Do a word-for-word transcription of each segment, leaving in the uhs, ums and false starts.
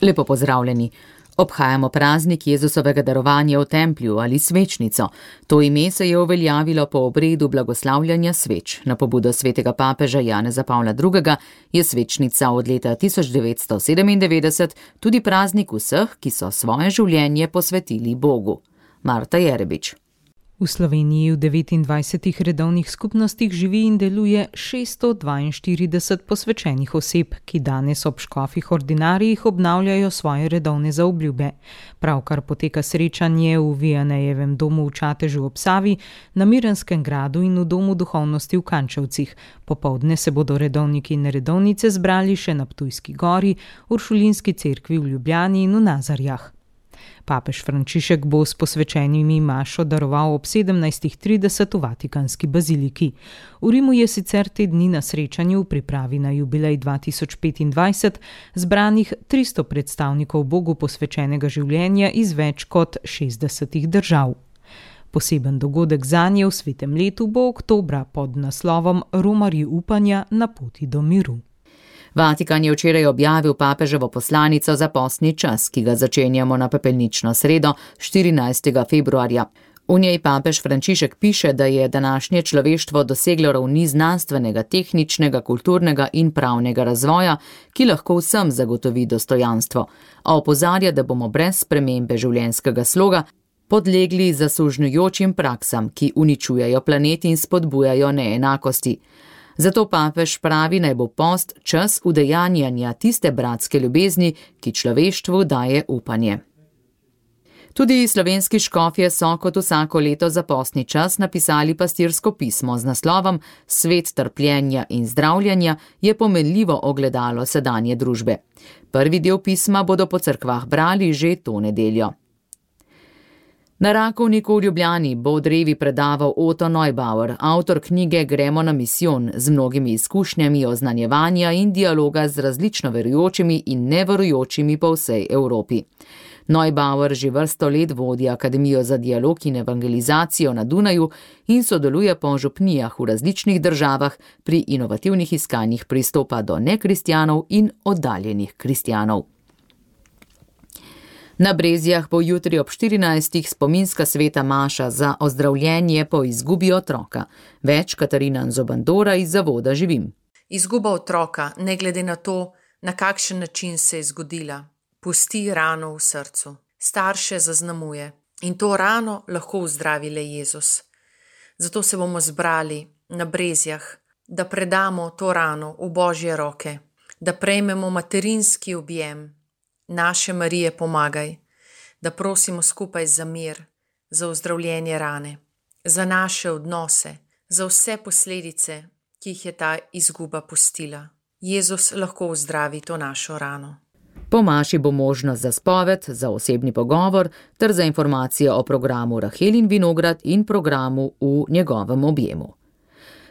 Lepo pozdravljeni. Obhajamo praznik Jezusovega darovanja v templju ali svečnico. To ime se je uveljavilo po obredu blagoslavljanja sveč. Na pobudo svetega papeža Janeza Pavla drugega je svečnica od leta tisoč devetsto sedemindevetdeset tudi praznik vseh, ki so svoje življenje posvetili Bogu. Marta Jerebič. V Sloveniji v devetindvajsetih redovnih skupnostih živi in deluje šeststo dvainštirideset posvečenih oseb, ki danes ob škofih ordinarijih obnavljajo svoje redovne zaobljube. Pravkar poteka srečanje v Vijanejevem domu v Čatežu ob Savi, na Mirnskem gradu in v domu duhovnosti v Kančevcih. Popoldne se bodo redovniki in redovnice zbrali še na Ptujski gori, Uršulinski cerkvi v Ljubljani in v Nazarjah. Papež Frančišek bo s posvečenimi mašo daroval ob sedemnajstih trideset v Vatikanski baziliki. V Rimu je sicer te dni na srečanju v pripravi na jubilej dva tisoč petindvajset zbranih tristo predstavnikov Bogu posvečenega življenja iz več kot šestdesetih držav. Poseben dogodek zanje v svetem letu bo oktobra pod naslovom Romarji upanja na poti do miru. Vatikan je včeraj objavil papeževo poslanico za postni čas, ki ga začenjamo na pepelnično sredo, štirinajstega februarja. V njej papež Frančišek piše, da je današnje človeštvo doseglo ravni znanstvenega, tehničnega, kulturnega in pravnega razvoja, ki lahko vsem zagotovi dostojanstvo. A opozarja, da bomo brez spremembe življenjskega sloga podlegli zasužnjujočim praksam, ki uničujejo planet in spodbujajo neenakosti. Zato papež pravi, naj bo post čas udejanjanja tiste bratske ljubezni, ki človeštvu daje upanje. Tudi slovenski škofje so kot vsako leto za postni čas napisali pastirsko pismo z naslovom Svet trpljenja in zdravljenja je pomenljivo ogledalo sedanje družbe. Prvi del pisma bodo po cerkvah brali že to nedeljo. Na Rakovniku v Ljubljani bo od Revi predaval Otto Neubauer, avtor knjige Gremo na misijon, z mnogimi izkušnjami oznanjevanja in dialoga z različno verujočimi in neverujočimi po vsej Evropi. Neubauer že vrsto let vodi Akademijo za dialog in evangelizacijo na Dunaju in sodeluje po župnijah v različnih državah pri inovativnih iskanjih pristopa do nekristjanov in oddaljenih kristjanov. Na Brezjah bo jutri ob štirinajstih spominska sveta maša za ozdravljenje po izgubi otroka. Več Katarina Zobandora iz Zavoda Živim. Izguba otroka, ne glede na to, na kakšen način se je zgodila, pusti rano v srcu. Starše zaznamuje in to rano lahko vzdravi le Jezus. Zato se bomo zbrali na Brezjah, da predamo to rano v Božje roke, da prejmemo materinski objem. Naše Marije pomagaj, da prosimo skupaj za mir, za ozdravljenje rane, za naše odnose, za vse posledice, ki jih je ta izguba pustila. Jezus lahko ozdravi to našo rano. Po maši bo možnost za spoved, za osebni pogovor ter za informacije o programu Rahelin vinograd in programu v njegovem objemu.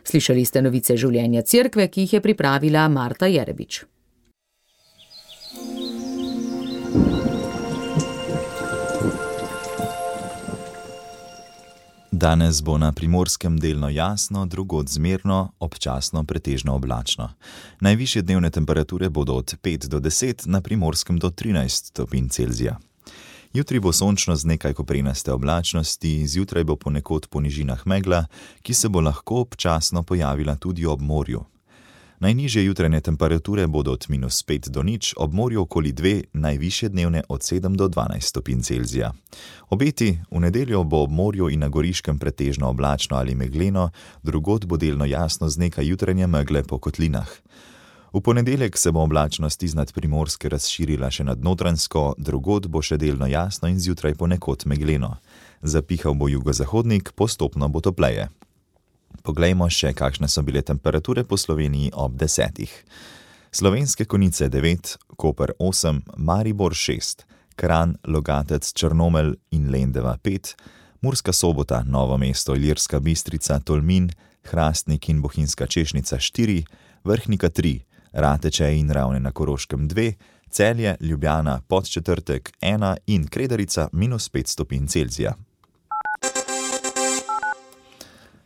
Slišali ste novice življenja cerkve, ki jih je pripravila Marta Jerebič. Danes bo na Primorskem delno jasno, drugod zmerno, občasno pretežno oblačno. Najvišje dnevne temperature bodo od pet do deset, na Primorskem do trinajst stopinj Celzija. Jutri bo sončno z nekaj koprenaste oblačnosti, zjutraj bo ponekod po nižinah megla, ki se bo lahko občasno pojavila tudi ob morju. Najnižje jutranje temperature bodo od minus pet do nič, ob morju okoli dve, najvišje dnevne od sedem do dvanajst stopinj Celzija. Obeti: v nedeljo bo ob morju in na Goriškem pretežno oblačno ali megleno, drugod bo delno jasno z nekaj jutranje megle po kotlinah. V ponedeljek se bo oblačnost iznad Primorske razširila še nad Notranjsko, drugod bo še delno jasno in zjutraj ponekod megleno. Zapihal bo jugozahodnik, postopno bo topleje. Poglejmo še, kakšne so bile temperature po Sloveniji ob desetih. Slovenske Konjice devet, Koper osem, Maribor šest, Kranj, Logatec, Črnomelj in Lendava pet, Murska Sobota, Novo mesto, Ilirska Bistrica, Tolmin, Hrastnik in Bohinjska Češnica štiri, Vrhnika tri, Rateče in Ravne na Koroškem dve, Celje, Ljubljana, Podčetrtek ena in Kredarica minus pet stopinj Celzija.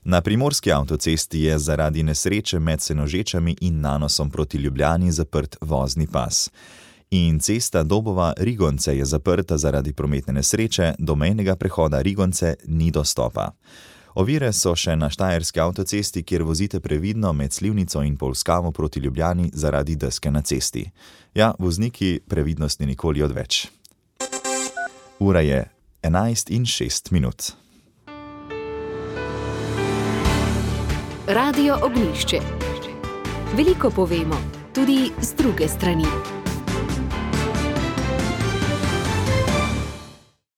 Na primorski avtocesti je zaradi nesreče med Senožečami in Nanosom proti Ljubljani zaprt vozni pas. In cesta Dobova-Rigonce je zaprta zaradi prometne nesreče, do mejnega prehoda Rigonce ni dostopa. Ovire so še na štajerski avtocesti, kjer vozite previdno med Slivnico in Polskavo proti Ljubljani zaradi deske na cesti. Ja, vozniki, previdnosti nikoli odveč. Ura je enajst in šest minut. Radio Ognjišče. Veliko povemo, tudi z druge strani.